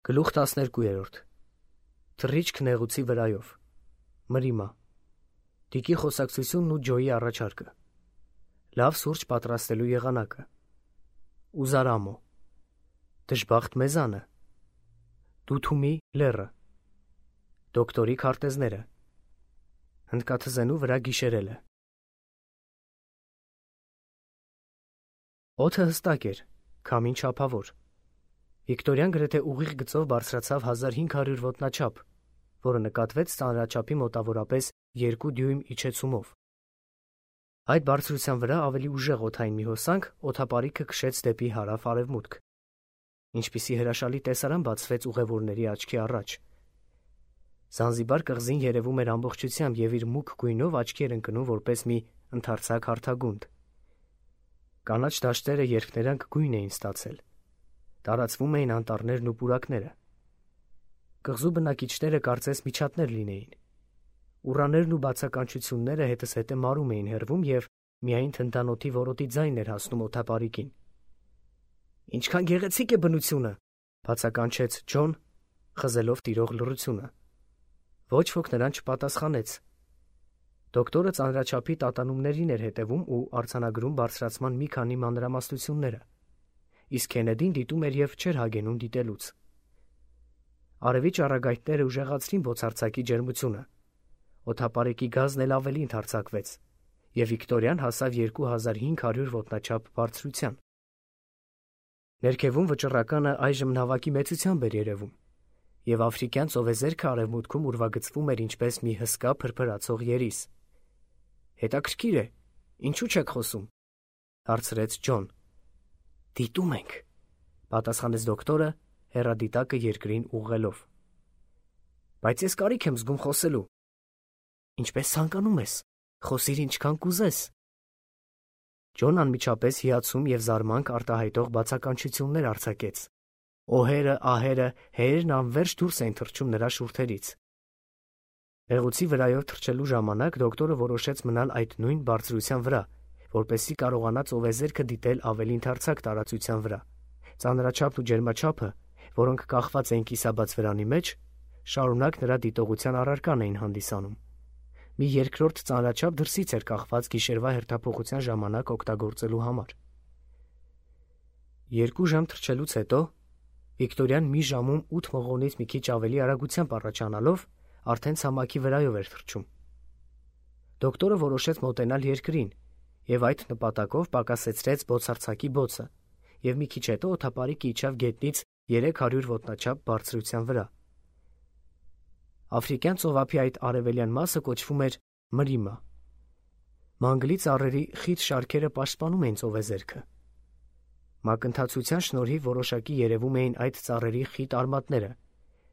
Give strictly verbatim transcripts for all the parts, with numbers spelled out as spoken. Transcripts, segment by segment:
Գլուխ տասներկուերորդ Թռիչք նեղուցի վրայով Մրիմա Դիկի խոսակցությունն ու Ջոյի առաջարկը Լավ սուրճ պատրաստելու եղանակը Ուզարամո Դժբախտ մեզանը Դութումի լեռը Դոկտորի քարտեզները Հնդկաթզենու վրա գիշերելը Օդը հստակ էր, քամին չափավոր Վիկտորյան գրեթե ուղիղ գծով բարձրացավ հազար հինգ հարյուր ոտնաչափ, որը նկատվեց ծանրաչափի մոտավորապես երկու դյույմ իջեցումով։ Այդ բարձրության վրա ավելի ուժեղ օդային մի հոսանք օդապարիկը քշեց դեպի հարավ-արևմուտք։ Ինչպիսի հրաշալի տեսարան բացվեց ուղևորների աչքի առաջ։ Զանզիբար կղզին երևում էր ամբողջությամբ և իր մուգ գույնով աչքի էր ընկնում որպես մի ընդարձակ հարթագունդ։ Կանաչ դաշտերը երբ նրանք գույն էին ստացել։ Տարածվում էին անտառներն ու պուրակները։ Կղզու բնակիչները կարծես միջատներ լինեին։ Ուռաներն ու բացականչությունները հետզհետե մարում էին հեռվում և միայն թնդանոթի որոտի ձայնն էր հասնում օդապարիկին։ «Ինչքան գեղեցիկ է բնությունը», բացականչեց Ջոն, խզելով տիրող լռությունը։ Ոչ ոք նրան չպատասխանեց։ Դոկտորը ծանրաչափի տատանումներին էր հետևում ու արձանագրում բարձրացման մի քանի մանրամասնությունները։ Իսկ Քենեդին դիտում էր և չէր հագենում դիտելուց։ Արևի ճառագայթները ուժեղացրին բոցարձակի ջերմությունը։ Օդապարիկի գազն էլ ավելի ընդարձակվեց, և Վիկտորյան հասավ երկու հազար հինգ հարյուր ոտնաչափ բարձրության։ Ներքևում վճռականը այժմ նավակի մեծությամբ էր երևում, և աֆրիկյան ծովեզերքը արևմուտքում ուրվագծվում էր ինչպես մի հսկա փրփրացող երիս։ «Հետաքրքիր է, ինչու չեք խոսում», հարցրեց Ջոն։ «Դիտում ենք», պատասխանեց դոկտորը, հեռադիտակը երկրին ուղղելով։ «Բայց ես կարիք եմ զգում խոսելու»։ «Ինչպես ցանկանում ես, խոսիր ինչքան կուզես»։ Ջոն անմիջապես հիացում և զարմանք արտահայտող բացականչություններ արձակեց։ Օհերը, ահերը, հերերն անվերջ դուրս էին թռչում նրա շուրթերից։ Նեղուցի վրայով թռչելու ժամանակ դոկտորը որոշեց մնալ այդ նույն բարձրության վրա, որպեսզի կարողանա ծովեզերքը դիտել ավելի ընդարձակ տարածության վրա։ Ծանրաչափն ու ջերմաչափը, որոնք կախված էին կիսաբաց վրանի մեջ, շարունակ նրա դիտողության առարկան էին հանդիսանում։ Մի երկրորդ ծանրաչափ դրսից էր կախված գիշերվա հերթափոխության ժամանակ օգտագործելու համար։ Երկու ժամ թռչելուց հետո Վիկտորյան մի ժամում ութ մղոնից մի քիչ ավելի արագությամբ առաջանալով արդեն ցամաքի վրայով էր թռչում։ Դոկտորը որոշեց մոտենալ երկրին և այդ նպատակով պակասեցրեց բոցարձակի բոցը և մի քիչ հետո օդապարիկը իջավ գետնից երեք հարյուր ոտնաչափ բարձրության վրա։ Աֆրիկյան ծովափի այդ արևելյան մասը կոչվում էր Մրիմա։ Մանգլի ծառերի խիտ շարքերը պաշտպանում էին ծովեզերքը։ Մակընթացության շնորհիվ որոշակի երևում էին այդ ծառերի խիտ արմատները,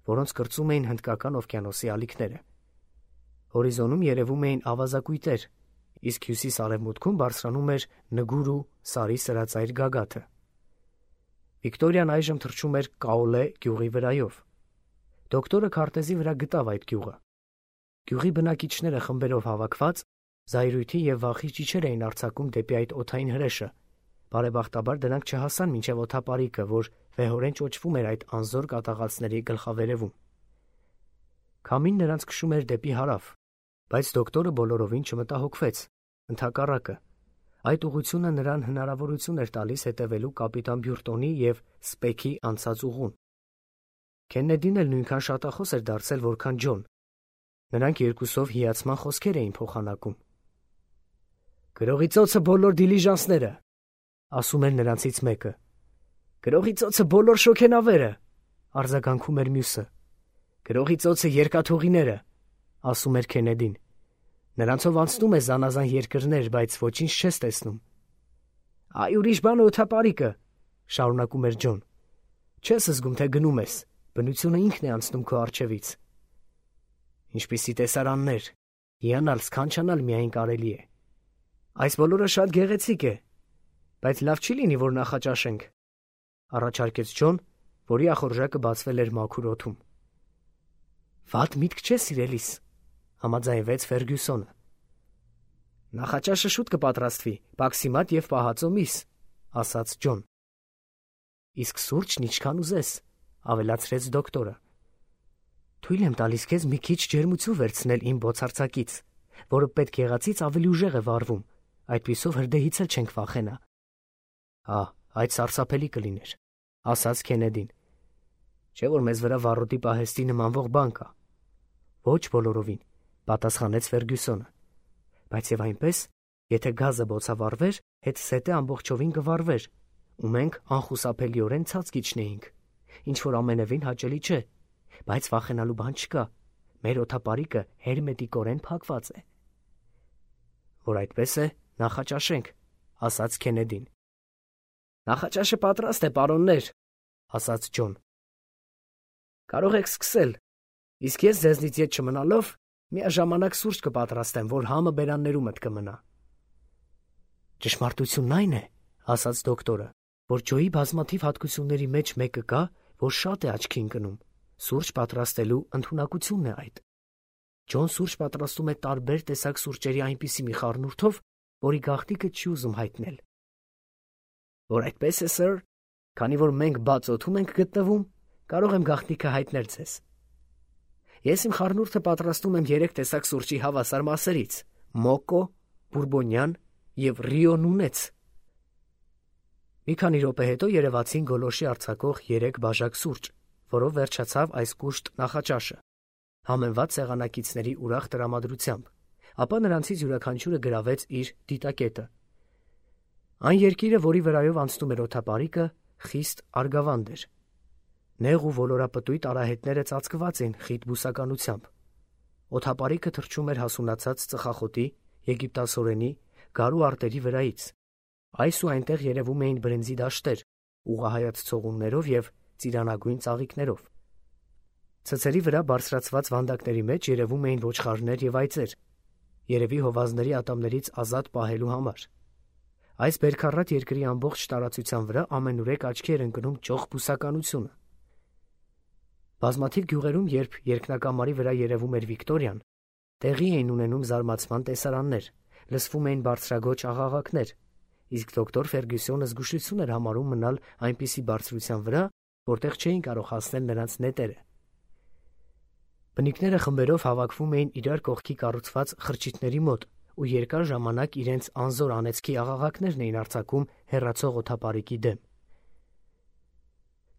որոնց կրծում էին Հնդկական օվկիանոսի ալիքները։ Հորիզոնում երևում էին ավազակույտեր, իսկ հյուսիս-արևմուտքում բարձրանում էր Նգուրու սարի սրածայր գագաթը։ Վիկտորիան այժմ թռչում էր Կաոլե գյուղի վրայով։ Դոկտորը քարտեզի վրա գտավ այդ գյուղը։ Գյուղի բնակիչները խմբերով հավաքված զայրույթի և վախի ճիչեր էին արձակում դեպի այդ օդային հրեշը։ Բարեբախտաբար դրանք չհասան մինչև օդապարիկը, որ վեհորեն ճոճվում էր այդ անզոր կատաղածների գլխավերևում։ Քամին նրանց քշում էր դեպի հարավ, բայց դոկտորը բոլորովին չմտահոգվեց, ընդհակառակը։ Այդ ուղղությունը նրան հնարավորություն էր տալիս հետևելու կապիտան Բյուրտոնի և Սպեքի անցած ուղուն։ Քեննեդին էլ նույնքան շատախոս էր դարձել, որքան Ջոն։ Նրանք երկուսով հիացման խոսքեր էին փոխանակում։ «Գրողի ծոցը բոլոր դիլիժանսները», ասում էր նրանցից մեկը։ «Գրողի ծոցը բոլոր շոգենավերը», արձագանքում էր մյուսը։ «Գրողի ծոցը երկաթուղիները», ասում էր Քենեդին։ «Նրանցով անցնում է զանազան երկրներ, բայց ոչինչ չես տեսնում»։ «Այ ուրիշ բան է օդապարիկը», շարունակում էր Ջոն։ «Չես զգում, թե գնում ես, բնությունը ինքն է անցնում քո առջևից»։ «Ինչպիսի տեսարաններ, հիանալ, սքանչանալ միայն կարելի է»։ «Այս բոլորը շատ գեղեցիկ է, բայց լավ չի լինի, որ նախաճաշենք», առաջարկեց Ջոն, որի ախորժակը բացվել էր մաքուր օդում։ «Վատ միտք չէ, սիրելիս», համաձայնվեց Ֆերգյուսոնը։ «Նախաճաշը շուտ կպատրաստվի, պաքսիմատ և պահածո միս», ասաց Ջոն։ «Իսկ սուրճն ինչքան ուզես», ավելացրեց դոկտորը։ Թույլ եմ տալիս քեզ մի քիչ ջերմություն վերցնել իմ բոցարձակից, որը պետք եղածից ավելի ուժեղ է վառվում, այդպիսով հրդեհից էլ չենք վախենա։ Հա, այդ սարսափելի կլիներ, ասաց Քենեդին։ Չէ՞ որ մեզ վրա վառոդի պահեստի նմանվող բան կա։ Ոչ բոլորովին, պատասխանեց Ֆերգյուսոնը։ Բայց եւ այնպես, եթե գազը բոցավառվեր, հետ սետը ամբողջովին կվառվեր, ու մենք անխուսափելիորեն ցած կիջնեինք, ինչ որ ամենևին հաճելի չէ, բայց վախենալու բան չկա։ Մեր օդապարիկը հերմետիկորեն փակված է։ Որ այդպես է, նախաճաշենք, ասաց Քենեդին։ Նախաճաշը պատրաստ է, պարոններ, ասաց Ջոն։ Կարող եք սկսել, իսկ ես ձեզնից ետ չմնալով միաժամանակ սուրճ կպատրաստեմ, որ համը բերաններումդ կմնա։ Ճշմարտությունն այն է, ասաց դոկտորը, որ ջոյի բազմաթիվ հատկությունների մեջ մեկը կա, որ շատ է աչքի ընկնում։ Սուրճ պատրաստելու ընդունակությունն է այդ։ Ջոն սուրճ պատրաստում է տարբեր տեսակ սուրճերի այնպիսի մի խառնուրդով, որի գաղտնիքը չի ուզում հայտնել։ Որ այդպես է, սըր, քանի որ մենք բաց օդում ենք գտնվում, կարող եմ գաղտնիքը հայտնել ձեզ։ Ես իմ խառնուրդը պատրաստում եմ երեք տեսակ սուրճի հավասար մասերից՝ մոկո, բուրբոնյան և ռիո նունեց։ Մի քանի րոպե հետո երևացին գոլորշի արձակող երեք բաժակ սուրճ, որով վերջացավ այս կուշտ նախաճաշը, համեմված սեղանակիցների ուրախ տրամադրությամբ, ապա նրանցից յուրաքանչյուրը գրավեց իր դիտակետը։ Այն երկիրը, որի վրայով անցնում էր օդապարիկը, խիստ արգավանդ էր։ Նեղ ու ոլորապտույտ արահետները ծածկված էին խիտ բուսականությամբ։ Օդապարիկը թռչում էր հասունացած ծխախոտի, եգիպտասորենի, գարու արտերի վրայից։ Այս ու այնտեղ երևում էին բրենզի դաշտեր, ուղղահայաց ցողուններով և ծիրանագույն ծաղիկներով։ Ցցերի վրա բարձրացված վանդակների մեջ երևում էին ոչխարներ և այծեր, երևի հովազների ատամներից ազատ պահելու համար։ Այս բերքառատ երկրի ամբողջ տարածության վրա ամենուրեք աչքի էր ընկնում ճոխ բուսականությունը։ Բազմաթիվ գյուղերում, երբ երկնակամարի վրա երևում էր Վիկտորիան, տեղի էին ունենում զարմացման տեսարաններ, լսվում էին բարձրագոչ աղաղակներ, իսկ դոկտոր Ֆերգյուսոնը զգուշություն էր համարում մնալ այնպիսի բարձրության վրա, որտեղ չէին կարող հասնել նրանց նետերը։ Բնիկները խմբերով հավաքվում էին իրար կողքի կառուցված խրճիթների մոտ ու երկար ժամանակ իրենց անզոր անեծքի աղաղակներն էին արձակում հեռացող օդապարիկի դեմ։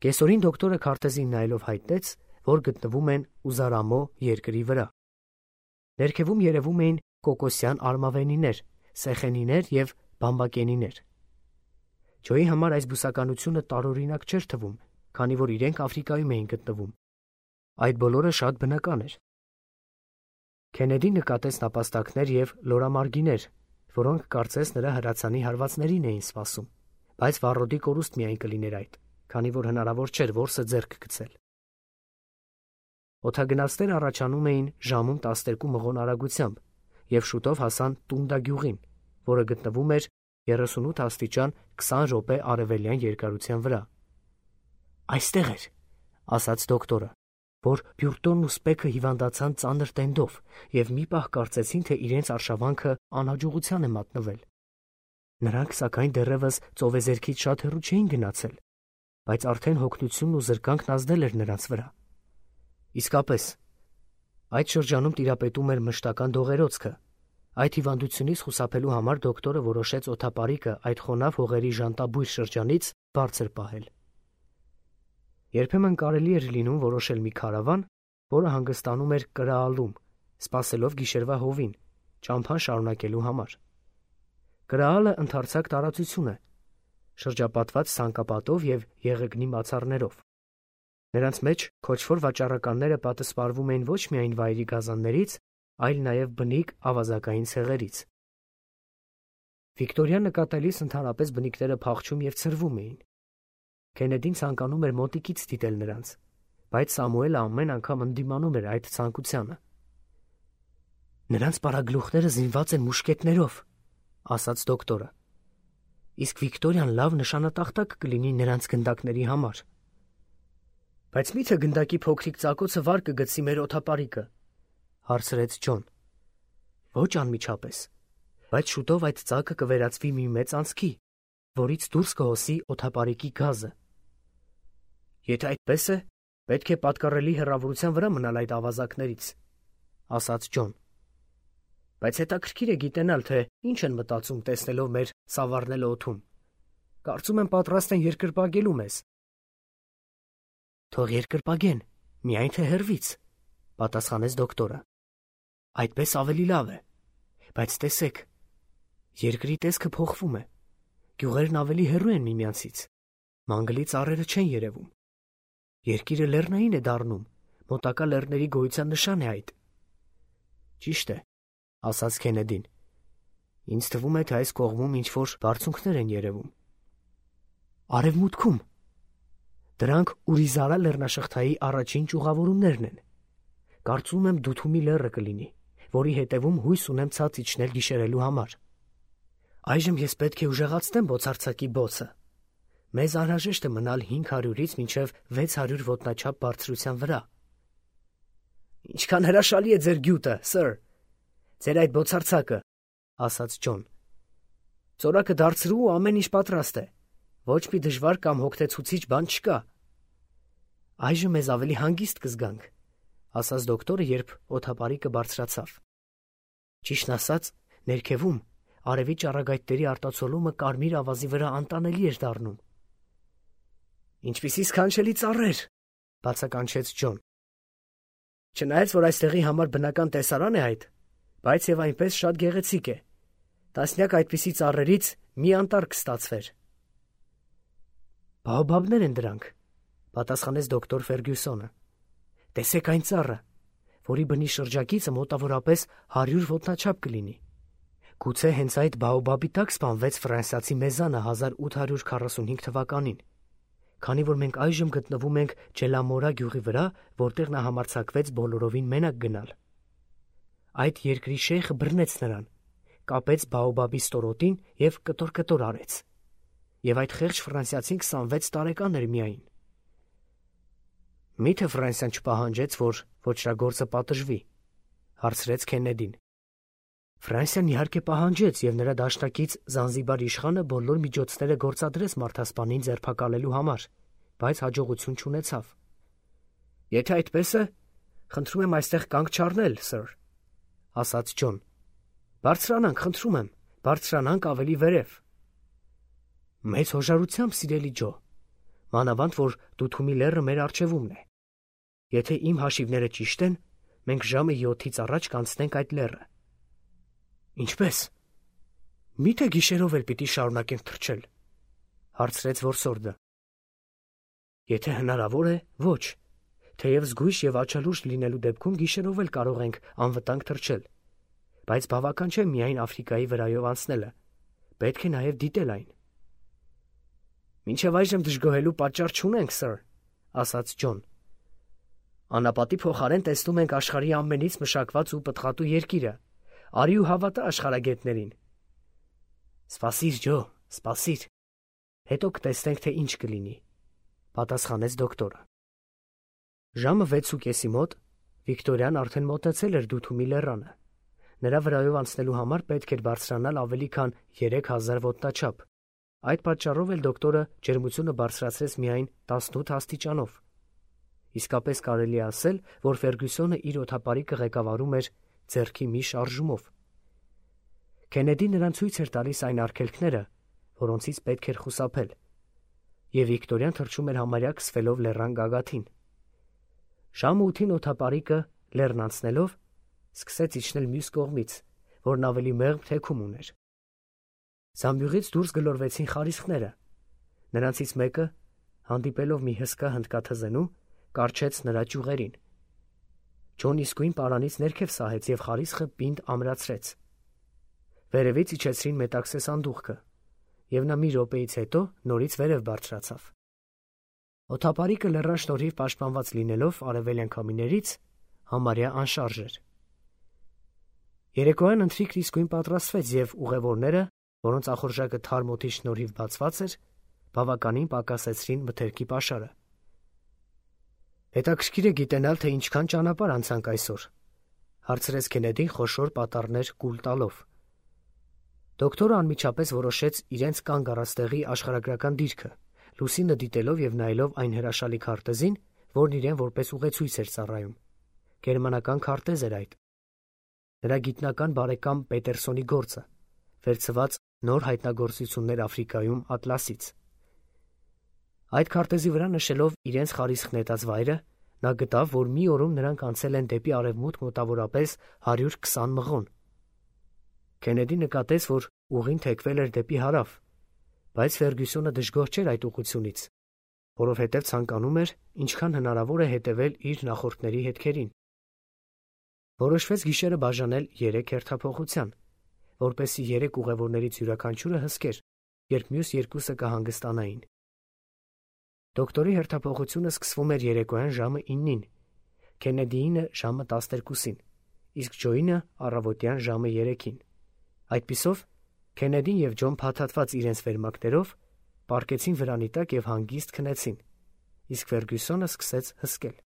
Կեսօրին դոկտորը քարտեզին նայելով հայտնեց, որ գտնվում են Ուզարամո երկրի վրա։ Ներքևում երևում էին կոկոսյան արմավենիներ, սեխենիներ և բամբակենիներ։ Ջոյի համար այս բուսականությունը տարօրինակ չէր թվում, քանի որ իրենք Աֆրիկայում էին գտնվում։ Այդ բոլորը շատ բնական էր։ Քենեդին նկատեց նապաստակներ և լորամարգիներ, որոնք կարծես նրա հրացանի հարվածներին էին սպասում, բայց վառոդի կորուստ միայն կլիներ այդ, քանի որ հնարավոր չէր որսը ձեռք գցել։ Օդագնացները առաջանում էին ժամում տասներկու մղոն արագությամբ և շուտով հասան Տունդա գյուղին, որը գտնվում էր երեսունութ աստիճան քսան րոպե արևելյան երկարության վրա։ Այստեղ էր, ասաց դոկտորը, որ Բյուրտոնն ու Սպեքը հիվանդացան ծանր տենդով և մի պահ կարծեցին, թե իրենց արշավանքը անհաջողության է մատնվել։ Նրանք, սակայն, դեռևս ծովեզերքից շատ հեռու չէին գնացել, բայց արդեն հոգնությունն ու զրկանքն ազդել էր նրանց վրա։ Իսկապես, այդ շրջանում տիրապետում էր մշտական դողերոցքը։ Այդ հիվանդությունից խուսափելու համար դոկտորը որոշեց օդապարիկը այդ խոնավ հողերի ժանտաբույր շրջանից բարձր պահել։ Երբեմն կարելի էր լինում որոշել մի քարավան, որը հանգստանում էր Կրաալում, սպասելով գիշերվա հովին, ճամփան շարունակելու համար։ Կրաալը ընդարձակ տարածություն է, շրջապատված ցանկապատով և եղեգնի մացառներով։ Նրանց մեջ քոչվոր վաճառականները պատսպարվում էին ոչ միայն վայրի գազաններից, այլ նաև բնիկ ավազակային ցեղերից։ Վիկտորիան նկատելիս ընդհանրապես բնիկները փախչում և ցրվում էին։ Քենեդին ցանկանում էր մոտիկից դիտել նրանց, բայց Սամուելը ամեն անգամ ընդդիմանում էր այդ ցանկությանը։ Նրանց պարագլուխները զինված են մուշկետներով, ասաց դոկտորը։ Իսկ Վիկտորիան լավ նշանատախտակ կլինի նրանց գնդակների համար։ Բայց մի՞թե գնդակի փոքրիկ ծակոցը վար կգցի մեր օդապարիկը, հարցրեց Ջոն։ Ոչ անմիջապես, բայց շուտով այդ ծակը կվերածվի մի մեծ անցքի, որից դուրս կհոսի օդապարիկի գազը։ Եթե այդպես է, Պետք է պատկառելի հեռավորության վրա մնալ այդ ավազակներից, ասաց Ջոն։ Բայց հետաքրքիր է գիտենալ, թե ինչ են մտածում տեսնելով մեր սավառնել օդում։ Կարծում եմ պատրաստ են երկրպագելու մեզ։ Թող երկրպագեն, միայն թե հեռվից, պատասխանեց դոկտորը։ Այդպես ավելի լավ է, բայց տեսեք, երկրի տեսքը փոխվում է, գյուղերն ավելի հեռու են միմյանցից, մանգլի ծառերը չեն երևում, երկիրը լեռնային է դառնում, մոտակա լեռների գոյության նշան է այդ։ Ճիշտ է, ասաց Քենեդին, ինձ թվում է, թե այս կողմում ինչ-որ բարձունքներ են երևում։ Արևմուտքում, դրանք Ուրիզարա լեռնաշղթայի առաջին ճյուղավորումներն են, կարծում եմ Դութումի լեռը կլինի, որի հետևում հույս ունեմ ցած իջնել գիշերելու համար։ Այժմ ես պետք է ուժեղացնեմ բոցարցակի բոցը։ Մեզ անհրաժեշտ է մնալ հինգ հարյուրից մինչև վեց հարյուր ոտնաչափ բարձրության վրա։ Ինչքան հրաշալի է ձեր գյուտը, սըր, ձեր այդ բոցարցակը, ասաց Ջոն։ Ծորակը դարձրու ու ամեն ինչ պատրաստ է։ Ոչ մի դժվար կամ հոգնեցուցիչ բան չկա։ Այժմ մեզ ավելի հանգիստ կզգանք, ասաց դոկտորը, երբ օդապարիկը բարձրացավ։ Ճիշտն ասած, ներքևում արևի ճառագայթների արտացոլումը կարմիր ավազի վրա անտանելի էր դառնում։ Ինչպիսի սքանչելի ծառեր, բացականչեց Ջոն։ Չնայած որ այստեղի համար բնական տեսարան է այդ, բայց եւ այնպես շատ գեղեցիկ է։ Տասնյակ այդպիսի ծառերից մի անտառ կստացվեր։ Բաոբաբներ են դրանք, պատասխանեց դոկտոր Ֆերգյուսոնը։ Տեսեք այն ծառը, որի բնի շրջակիցը մոտավորապես հարյուր ոտնաչափ կլինի։ Գուցե հենց այդ բաոբաբի տակ սպանվեց ֆրանսիացի մեզանը հազար ութ հարյուր քառասունհինգ թվականին, քանի որ մենք այժմ գտնվում ենք Ջելամորա գյուղի վրա, որտեղ նա համարձակվեց բոլորովին մենակ գնալ։ Այդ երկրի շեյխը բռնեց նրան, կապեց բաոբաբի ստորոտին եւ կտոր-կտոր արեց։ Եվ այդ խեղճ ֆրանսիացին քսանվեց տարեկան էր միայն։ Միթե Ֆրանսիան չպահանջեց, որ ոչրագործը պատժվի, հարցրեց Քենեդին։ Ֆրանսիան իհարկե պահանջեց եւ նրա դաշնակից Զանզիբար իշխանը բոլոր միջոցները գործադրեց մարդասպանին ձերբակալելու համար, բայց հաջողություն չունեցավ։ Եթե այդպես է, խնդրում եմ այստեղ կանգ չառնել, սըր, ասաց Ջոն։ Բարձրանանք, խնդրում եմ, բարձրանանք ավելի վերև։ Մեծ հոժարությամբ, սիրելի Ջո, մանավանդ որ Դութումի լեռը մեր առջևումն է։ Եթե իմ հաշիվները ճիշտ են, մենք ժամը յոթից առաջ կանցնենք այդ լեռը։ Ինչպես։ Միթե գիշերով էլ պիտի շարունակենք թռչել, հարցրեց որսորդը։ Եթե հնարավոր է, ոչ, թեև զգույշ եւ աչալուրջ լինելու դեպքում գիշերով էլ կարող ենք անվտանգ թռչել, բայց բավական չէ միայն Աֆրիկայի վրայով անցնելը, պետք է նաեւ դիտել այն։ Մինչև այժմ դժգոհելու պատճառ չունենք, սըր, ասաց Ջոն։ Անապատի փոխարեն տեսնում ենք աշխարհի ամենից մշակված ու պտղատու երկիրը։ Արի ու հավատա աշխարհագետներին։ Սպասիր, Ջո, սպասիր։ Հետո կտեսնենք, թե ինչ կլինի, պատասխանեց դոկտորը։ Ժամը վեցու կեսի մոտ Վիկտորիան արդեն մոտեցել էր Դութումի լեռանը։ Նրա վրայով անցնելու համար պետք էր բարձրանալ ավելի քան երեք հազար ոտնաչափ։ Այդ պատճառով էլ դոկտորը ջերմությունը բարձրացրեց միայն տասնութ աստիճանով։ Իսկապես կարելի է ասել, որ Ֆերգյուսոնը իր օդապարիկը ղեկավարում էր ձեռքի մի շարժումով։ Քենեդին նրան ցույց էր տալիս այն արգելքները, որոնցից պետք էր խուսափել, եւ Վիկտորիան թռչում էր համարյա քսվելով լեռան գագաթին։ Ժամը ութին օդապարիկը լեռն անցնելով սկսեց իջնել մյուս կողմից, որն ավելի մեղմ թեքում ուներ։ Զամբյուղից դուրս գլորվեցին խարիսխները։ Նրանցից մեկը, հանդիպելով մի հսկա հնդկաթզենու, կառչեց նրա ճյուղերին։ Ջոն իսկույն պարանից ներքև սահեց եւ խարիսխը պինդ ամրացրեց։ Վերևից իջեցրին մետաքսե սանդուղքը, եւ նա մի րոպեից հետո նորից վերև բարձրացավ։ Օդապարիկը լեռան շնորհիվ պաշտպանված լինելով արևելյան քամիներից համարյա անշարժ էր։ Երեկոյան ընթրիքն իսկույն պատրաստվեց եւ ուղևորները, որոնց ախորժակը թարմ օդի շնորհիվ բացված էր, բավականին պակասեցրին մթերքի պաշարը։ Հետաքրքիր է գիտենալ, թե ինչքան ճանապարհ անցանք այսօր, հարցրեց Քենեդին խոշոր պատառներ կուլ տալով։ Դոկտորը անմիջապես որոշեց իրենց կանգ առած տեղի աշխարհագրական դիրքը, լուսինը դիտելով եւ նայելով այն հրաշալի քարտեզին, որն իրեն որպես ուղեցույց էր ծառայում։ Գերմանական քարտեզ էր այդ։ Նրա գիտնական բարեկամ Պետերսոնի գործը, վերցված նոր հայտնագործություններ Աֆրիկայում Ատլասից։ Այդ քարտեզի վրա նշելով իրենց խարիսխ նետած վայրը, նա գտավ, որ մի օրում նրանք անցել են դեպի արևմուտք մոտավորապես հարյուր քսան մղոն։ Քենեդի նկատեց, որ ուղին թեքվել էր դեպի հարավ, բայց Ֆերգյուսոնը դժգոհ չէր այդ ուղղությունից, որովհետև ցանկանում էր ինչքան հնարավոր է հետևել իր նախորդների հետքերին։ Որոշվեց գիշերը բաժանել երեք հերթափոխության, որպեսզի երեք ուղևորներից յուրաքանչյուրը հսկեր, երբ մյուս երկուսը կհանգստանային։ Դոկտորի հերթափոխությունը սկսվում էր երեկոյան ժամը իննին, Քենեդիինը ժամը տասներկուսին, իսկ Ջոյինը առավոտյան ժամը երեքին։ Այդպիսով Քենեդին և Ջոն փաթաթված իրենց վերմակներով պառկեցին վրանի տակ և հանգիստ քնեցին, իսկ Ֆերգյուսոնը սկսեց հսկել։